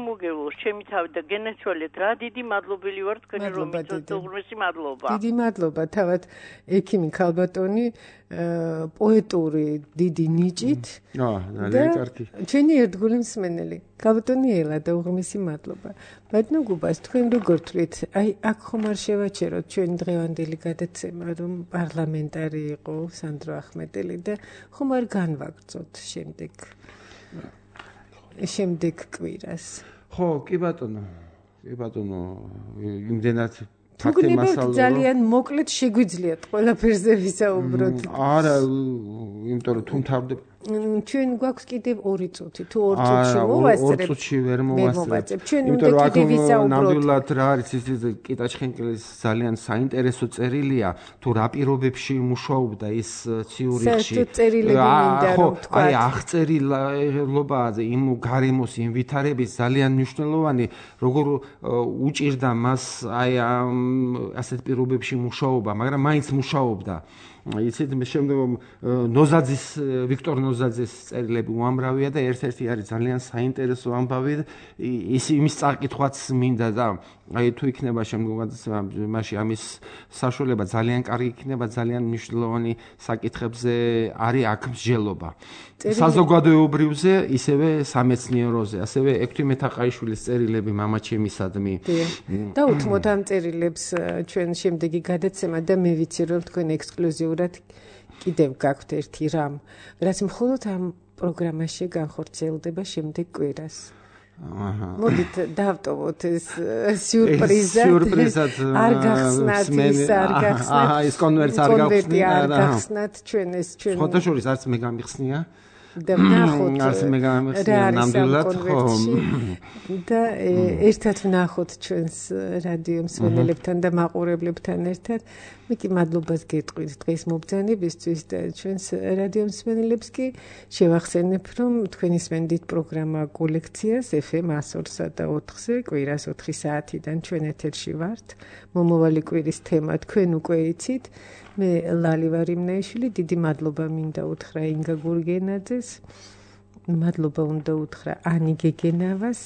შემოგელოს ჩემი თავი და გენეცვალეთ რა დიდი მადლობელი ვარ თქვენი რომ მიწოთ უღრმესი მადლობა დიდი მადლობა თავად ექიმი ქალბატონი პოეტური დიდი ნიჭით ძალიან კარგი ჩვენი ერთგული მსმენელი ქალბატონი ელა და უღრმესი მადლობა ბატონო გუბას თქვენ როგორ თვლით აი აქ ხომ არ შევაჩეროთ ჩვენი დღევანდელი გადაცემა რომ პარლამენტარი იყო სანდრო ახმეტელი და ხომ არ განვაგრძოთ შემდეგ კვირას ხო კი ბატონო იმდენად ფაქტი მასალა ძალიან მოკლედ შეგვიძლიათ ყველაფერზე ვისაუბროთ არა იმიტომ რომ თუ მთავრდება ჩვენ გვაქვს კიდევ 2 წუთი თუ 2 წუთში მოვასწრებ 2 წუთში ვერ მოვასწრებ ჩვენ უნდა კიდევ ვისაუბროთ ნამდვილად რა არის ის კიტაჩხენკელის ძალიან საინტერესო წერილია თუ რა პირობებში მუშაობდა ის ციურიხში აი აღწერილობაზე იმ გარემოს იმ ვითარების ძალიან მნიშვნელოვანი როგორ უჭირდა მას აი ასეთ პირობებში მუშაობა მაგრამ მაინც მუშაობდა იცით შემდგომ ნოზაძის ვიქტორ ნოზაძის წერილები უამრავია და ერთ-ერთი არის ძალიან საინტერესო ამბავი ის იმის წაკითხვაც მინდა და აი თუ იქნება შემდგომ მასში ამის საშუალება ძალიან კარგი იქნება ძალიან მნიშვნელოვანი საკითხებზე არის აქ მსჯელობა საზოგადოებრივზე ისევე სამეცნიეროზე ასევე ექვთი მეთაყაიშვილის წერილები მამაჩემისადმი და უთმოთ ამ წერილებს ჩვენ შემდეგი გადაცემა და მე ვიცი რომ თქვენ ექსკლუზიურად კიდევ გაქვთ ერთი რამ რაც მხოლოდ ამ პროგრამაში განხორციელდება შემდეგ კვირას მოდით დავტოვოთ ეს სიურპრიზად არ გახსნათ ის კონვერტს არ გახსნათ ჩვენ სხვათა შორის არც მე გამიხსნია და ვნახოთ რა ნამდვილად და ერთად ვნახოთ ჩვენს რადიო მსმენელებთან და მაყურებლებთან ერთად. მე კი მადლობას გეტყვით დღის მობრძანებისთვის და ჩვენს რადიო მსმენელებს კი შევახსენებ, რომ თქვენ ისმენდით პროგრამა კოლექციას FM 102.4-ზე, კვირას 4 საათიდან ჩვენ ეთერში ვართ. მომავალი კვირის თემა თქვენ უკვე იცით. მე ლალი ვარ იმნაიშვილი, დიდი მადლობა მინდა უთხრა ინგა გურგენაძეს. მადლობა უნდა უთხრა ანი გეგენავას,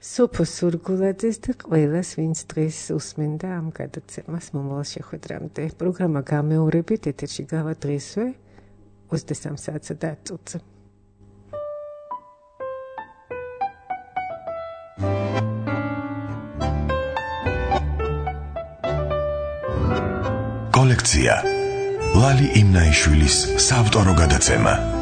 სოფო სურგულაძეს და ყველას, ვინც დღეს უსმენდა ამ გადაცემას მომავალ შეხვედრამდე. პროგრამა გამეორებით ეთერში გავა დღესვე 23 საათსა და 10 წუთზე. კოლექცია ლალი იმნაიშვილის საავტორო გადაცემა.